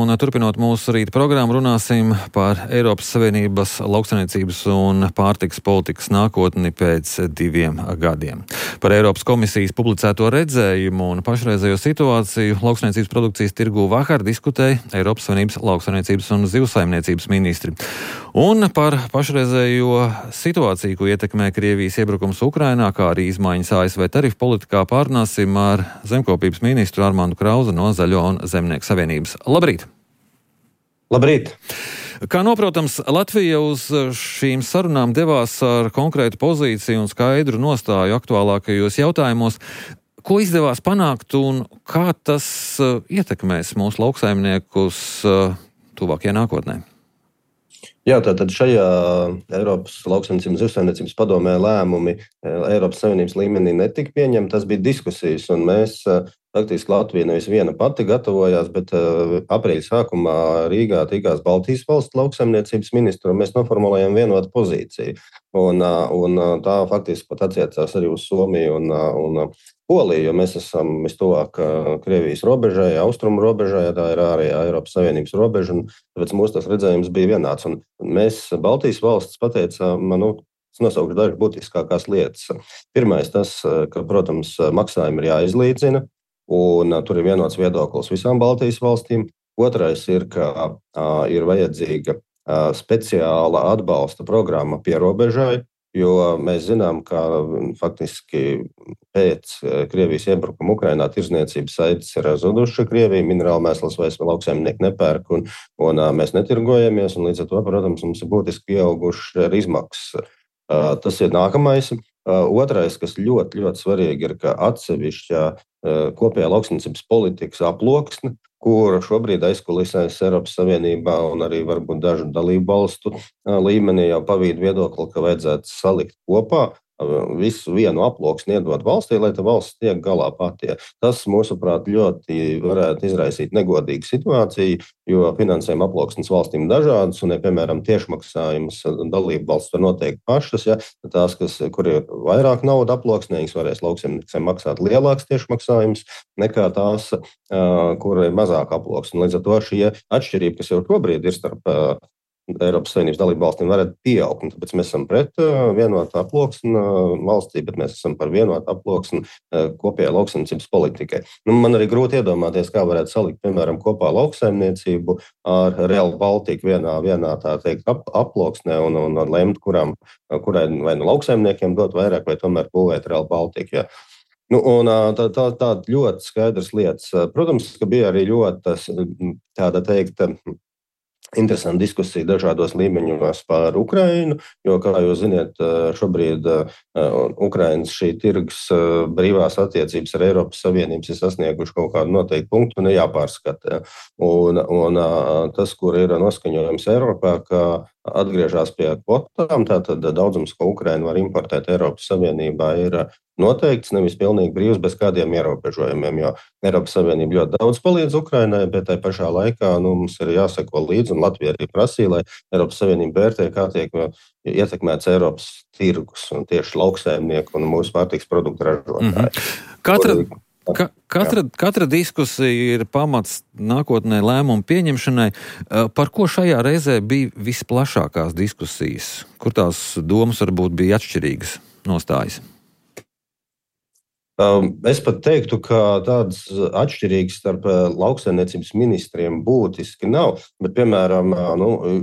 un turpinot mūsu rīta programmu, runāsim par Eiropas Savienības lauksaimniecības un pārtikas politikas nākotni pēc 2 gadiem. Par Eiropas komisijas publicēto redzējumu un pašreizējo situāciju lauksaimniecības produkcijas tirgū vakar diskutēja Eiropas Savienības lauksaimniecības un zivsaimniecības ministri. Un par pašreizējo situāciju, ko ietekmē Krievijas iebrukums Ukrainā, kā arī izmaiņas ASV tarifu politikā, pārunāsim ar zemkopības ministru Armandu Krauzi no Zaļo un Zemnieku savienības. Labrīt! Labrīt! Kā noprotams, Latvija uz šīm sarunām devās ar konkrētu pozīciju un skaidru nostāju aktuālākajos jautājumos. Ko izdevās panākt un kā tas ietekmēs mūsu lauksaimniekus tuvākajā nākotnē? Jā, tātad šajā Eiropas lauksaimniecības un zivsaimniecības padomē lēmumi Eiropas Savienības līmenī netika pieņemti. Tas bija diskusijas, un mēs faktiski Latvija nevis viena pati gatavojās, bet aprīļa sākumā Rīgā tikās Baltijas valstu lauksaimniecības ministru, un mēs noformulējām vienotu pozīciju. Un tā faktiski pat attiecās arī uz Somiju un Poliju, jo mēs esam vistuvāk Krievijas robežai, austrumu robežai, tā ir ārējā Eiropas Savienības robeža, un tāpēc mūsu tas redzējums bija vienāds. Un mēs Baltijas valstis pateicām, es nosaukšu dažas būtiskākās lietas. Pirmais tas, ka, protams, maksājumi ir jāizlīdzina, un tur ir vienots viedoklis visām Baltijas valstīm. Otrais ir, ka ir vajadzīga speciāla atbalsta programma pierobežai, jo mēs zinām, ka faktiski pēc Krievijas iebrukuma Ukrainā tirzniecības saites ir zudušas. Krievija minerālu mēslas vairs lauksaimnieki nepērk, un mēs netirgojamies, un līdz ar to, protams, mums ir būtiski pieaugušas izmaksas. Tas ir nākamais. Otrais, kas ļoti, ļoti svarīgi, ir, ka atsevišķā kopējā lauksaimniecības politikas aploksne, kur šobrīd aizkulisēs Eiropas Savienībā un arī varbūt dažu dalību valstu līmenī jau pavīd viedokli, ka vajadzētu salikt kopā visu vienu aploksni iedot valstī, lai tā valsts tiek galā pati. Tas, mūsuprāt, ļoti varētu izraisīt negodīgu situāciju, jo finansējuma aploksnes valstīm dažādas, un, ja, piemēram, tiešmaksājumus dalību valsts var noteikt pašas, tās, kur ir vairāk nauda aploksnē, varēs lauksaimniekiem maksāt lielāks tiešmaksājums nekā tās, kur ir mazāk aploksne. Līdz ar to šī atšķirība, kas jau šobrīd ir starp Eiropas Savienības dalību valstīm, varētu pieaugt. Tāpēc mēs esam pret vienotu aploksni valstī, bet mēs esam par vienotu aploksni kopējā lauksaimniecības politikai. Man arī grūti iedomāties, kā varētu salikt, piemēram, kopā lauksaimniecību ar Real Baltiku vienā tā teikt aploksnē un lemt, kurai vai nu lauksaimniekiem dot vairāk, vai tomēr būvēt Real Baltiku. Ja. Tā ļoti skaidrs lietas. Protams, ka bija arī ļoti tāda teikt interesanta diskusija dažādos līmeņos par Ukrainu, jo, kā jūs ziniet, šobrīd Ukrainas šī tirgus brīvās attiecības ar Eiropas Savienības ir sasnieguši kaut kādu noteiktu punktu un ir jāpārskata. Un tas, kur ir noskaņojums Eiropā, ka atgriežas pie kvotām, tātad daudzums, ko Ukraina var importēt Eiropas Savienībā, ir noteikts, nevis pilnīgi brīvs bez kādiem ierobežojumiem, jo Eiropas Savienība ļoti daudz palīdz Ukrainai, bet tai pašā laikā mums ir jāseko līdzi, un Latvija arī prasīja, lai Eiropas Savienība vērtē, kā tiek ietekmēts Eiropas tirgus un tieši lauksaimnieku un mūsu pārtikas produktu ražotāji. Katra diskusija ir pamats nākotnē lēmumu pieņemšanai. Par ko šajā reizē bija visplašākās diskusijas? Kur tās domas varbūt bija atšķirīgas nostājas? Es pat teiktu, ka tādas atšķirīgas starp lauksaimniecības ministriem būtiski nav, bet, piemēram,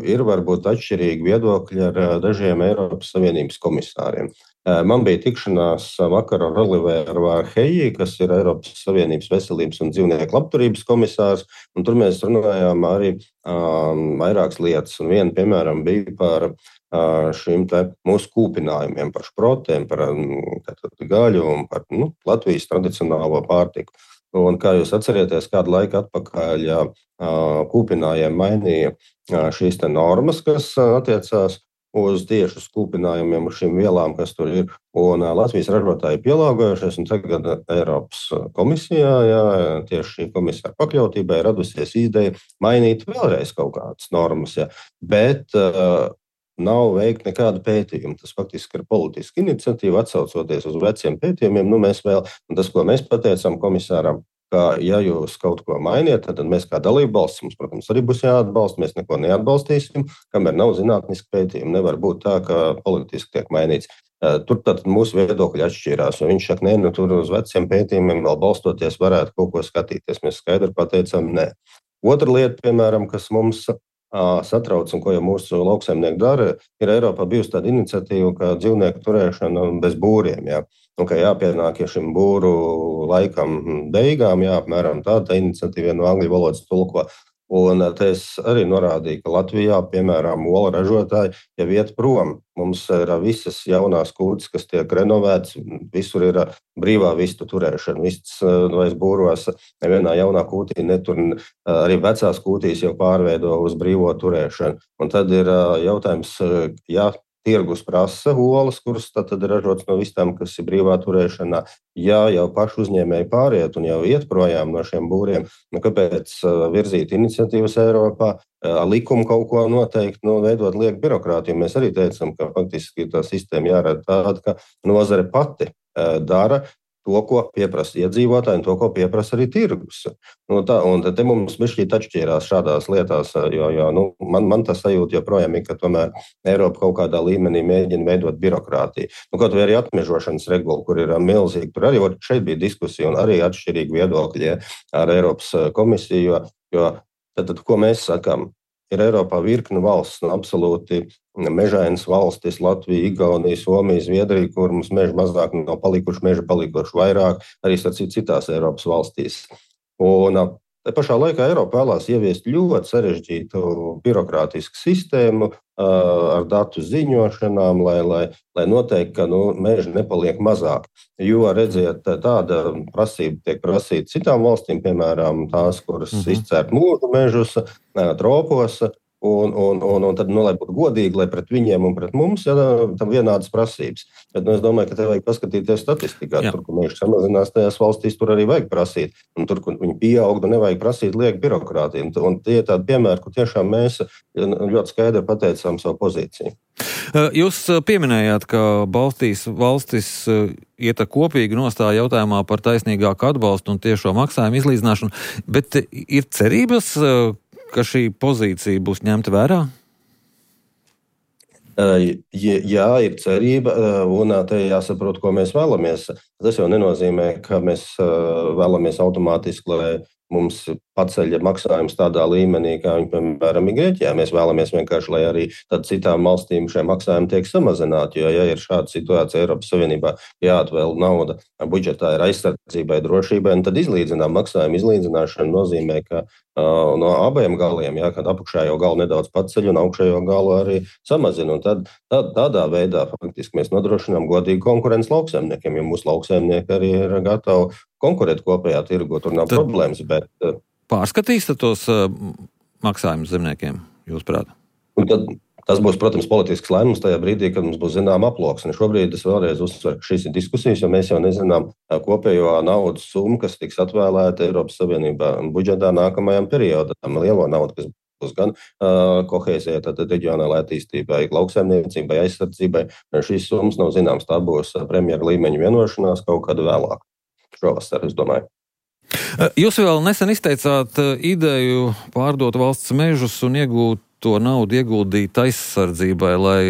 ir varbūt atšķirīgi viedokļi ar dažiem Eiropas Savienības komisāriem. Man bija tikšanās vakar ar Oliveru Vārheji, kas ir Eiropas Savienības veselības un dzīvnieku labturības komisārs, un tur mēs runājām arī vairākas lietas, un viena, piemēram, bija par šīm mūsu kūpinājumiem, par šprotēm, par gaļu un par Latvijas tradicionālo pārtiku. Un, kā jūs atcerieties, kādu laiku atpakaļ kūpinājiem mainīja šīs normas, kas attiecās uz tieši kūpinājumiem, uz šīm vielām, kas tur ir. Un Latvijas ražotāji pielāgojušies, un tagad Eiropas komisijā, tieši šī komisāra pakļautībai radusies ideja mainīt vēlreiz kaut kādas normas. Bet nav veikt nekādu pētījumu. Tas faktiski ir politiska iniciatīva, atsaucoties uz veciem pētījumiem. Mēs vēl, un tas, ko mēs pateicām komisāram, ka, ja jūs kaut ko mainiet, tad mēs kā dalībvalsts, mums, protams, arī būs jāatbalsta, mēs neko neatbalstīsim, kamēr nav zinātniski pētījumi. Nevar būt tā, ka politiski tiek mainīts. Tur tad mūsu viedokļi atšķīrās, jo viņš saka, nē, tur uz veciem pētījumiem vēl balstoties varētu kaut ko skatīties. Mēs skaidri pateicām, nē. Otra lieta, piemēram, kas mums satrauc un ko jau mūsu lauksaimnieki dara, ir Eiropā bijusi tāda iniciatīva, ka dzīvnieku turēšana bez būriem. Jā. Un, ka jāpienāk šim būru laikam beigām, apmēram tāda iniciatīva no angļu valodas tulko. Un te es arī norādīju, ka Latvijā, piemēram, olu ražotāji jau iet prom. Mums ir visas jaunās kūtis, kas tiek renovētas, visur ir brīvā vistu turēšana. Vistas vairs būros nevienā jaunā kūtī netur, arī vecās kūtīs jau pārveido uz brīvo turēšanu. Un tad ir jautājums, tirgus prasa olas, kuras tad ir ražotas no vistām, kas ir brīvā turēšanā. Ja jau paši uzņēmēji pāriet un jau iet projām no šiem būriem, kāpēc virzīt iniciatīvas Eiropā, likumu kaut ko noteikt, veidot lieku birokrātiju? Mēs arī teicam, ka faktiski tā sistēma jārada tāda, ka nozare pati dara to, ko pieprasa iedzīvotāji, un to, ko pieprasa arī tirgus. Un te mums bišķīt atšķīrās šādās lietās, jo man tas sajūta joprojām ir, ka tomēr Eiropa kaut kādā līmenī mēģina veidot birokrātiju. Kaut vai arī atmežošanas regula, kur ir milzīgi, tur arī šeit bija diskusija un arī atšķirīgi viedokļi ar Eiropas komisiju, jo tad ko mēs sakām? Ir Eiropā virkne valsts, absolūti mežainas valstis, Latvija, Igaunija, Somija, Zviedrija, kur mums meži mazāk nav palikuši, meži palikuši vairāk, arī citās Eiropas valstīs. Un te pašā laikā Eiropa vēlās ieviest ļoti sarežģītu birokrātisku sistēmu ar datu ziņošanām, lai noteikti, ka meži nepaliek mazāk. Jo, redziet, tāda prasība tiek prasīta citām valstīm, piemēram, tās, kuras izcērt mūžu mežus, tropos, un tad, lai būtu godīgi, lai pret viņiem un pret mums tam vienādas prasības. Bet es domāju, ka te vajag paskatīties statistikā. Tur, kur meži samazinās tajās valstīs, tur arī vajag prasīt. Un tur, kur viņi pieaug, nevajag prasīt lieku birokrātiju. Un tie ir tādi piemēri, kur tiešām mēs ļoti skaidri pateicām savu pozīciju. Jūs pieminējāt, ka valstis iet kopīgi nostāja jautājumā par taisnīgāku atbalstu un tiešo maksājumu izlīdzināšanu, bet ir cerības, ka šī pozīcija būs ņemta vērā? Jā, ir cerība, un te jāsaprot, ko mēs vēlamies. Tas jau nenozīmē, ka mēs vēlamies automātiski, lai mums paceļ maksājums tādā līmenī, kā viņi, piemēram, ir Grieķijā. Mēs vēlamies vienkārši, lai arī citām valstīm šie maksājumi tiek samazināti, jo, ja ir šāda situācija Eiropas Savienībā, jāatvēl nauda budžetā ir aizsardzībai, drošībai, un tad maksājumu izlīdzināšana nozīmē, ka no abiem galiem, kad apakšējo galu nedaudz paceļ un augšējo galu arī samazina. Un tad tādā veidā faktiski mēs nodrošinām godīgu konkurenci lauksaimniekiem, jo mūsu lauksaimnieki arī ir gatavi konkurēt kopējā tirgu. Tur nav problēmas, bet pārskatīs tos maksājumus zemniekiem, jūsuprāt? Tas būs, protams, politisks lēmums tajā brīdī, kad mums būs zināma aploksne. Šobrīd es vēlreiz uzsveru, ka šīs ir diskusijas, jo mēs jau nezinām kopējo naudas summu, kas tiks atvēlēta Eiropas Savienībā budžetā nākamajam periodam. Lielo naudu, kas būs gan kohēzijai, tad reģionālai attīstībai, lauksaimniecībai, aizsardzībai. Šīs summas nav zināmas. Tā būs premjera līmeņa vienošanās kaut kad vēlāk. Šovasar, es domāju. Jūs vēl nesen izteicāt ideju pārdot valsts mežus un iegūt to naudu ieguldīt aizsardzībai, lai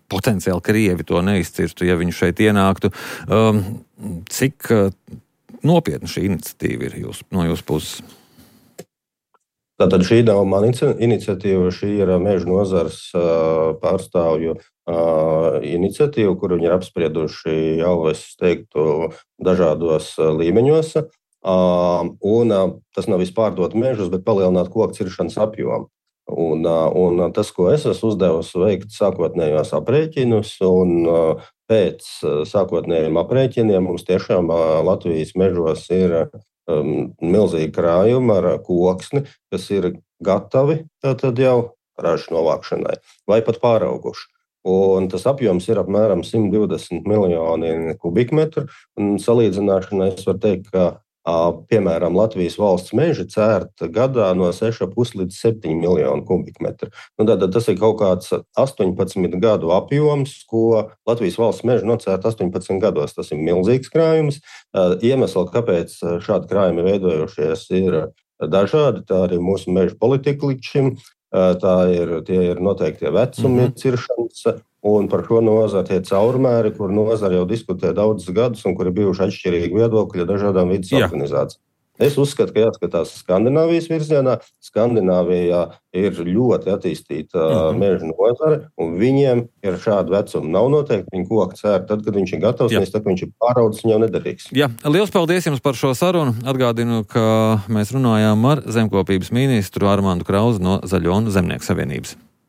potenciāli Krievi to neizcirstu, ja viņi šeit ienāktu. Cik nopietna šī iniciatīva ir no jūsu puses? Tātad šī nav mana iniciatīva, šī ir meža nozares pārstāvju iniciatīva, kur viņi ir apsprieduši jau, es teiktu, dažādos līmeņos. Un tas nav vispārdot mežus, bet palielināt koku ciršanas apjomu. Un tas, ko es esmu uzdevusi, veikt sākotnējos aprēķinus, un pēc sākotnējiem aprēķiniem mums tiešām Latvijas mežos ir milzīgi krājumi ar koksni, kas ir gatavi tad jau ražas novākšanai vai pat pārauguši. Un tas apjoms ir apmēram 120 miljoni kubikmetru. Un salīdzināšanai es varu teikt, ka piemēram, Latvijas valsts meži cērt gadā no 6,5 līdz 7 miljonu kubikmetru. Tātad tas ir kaut kāds 18 gadu apjoms, ko Latvijas valsts meži nocērt 18 gados. Tas ir milzīgs krājums. Iemesli, kāpēc šādi krājumi veidojušies, ir dažādi. Tā arī mūsu meža politika līdz šim. Tie ir noteiktie vecumi ciršanas. Un par šo nozari tie caurmēri, kur nozara jau diskutē daudzus gadus un kur ir bijuši atšķirīgi viedokļi dažādām vidas organizācijām. Es uzskatu, ka jāskatās Skandināvijas virzienā. Skandināvijā ir ļoti attīstīta meža nozare, un viņiem ir šādi vecumi. Nav noteikti, viņi koku cērt tad, kad viņš ir gatavs, nevis tad, kad viņš ir pāraudzis, viņa jau nederīgs. Jā, liels paldies jums par šo sarunu. Atgādinu, ka mēs runājām ar zemkopības ministru Armandu Krauzi no Zaļo un Zemnieku savienības.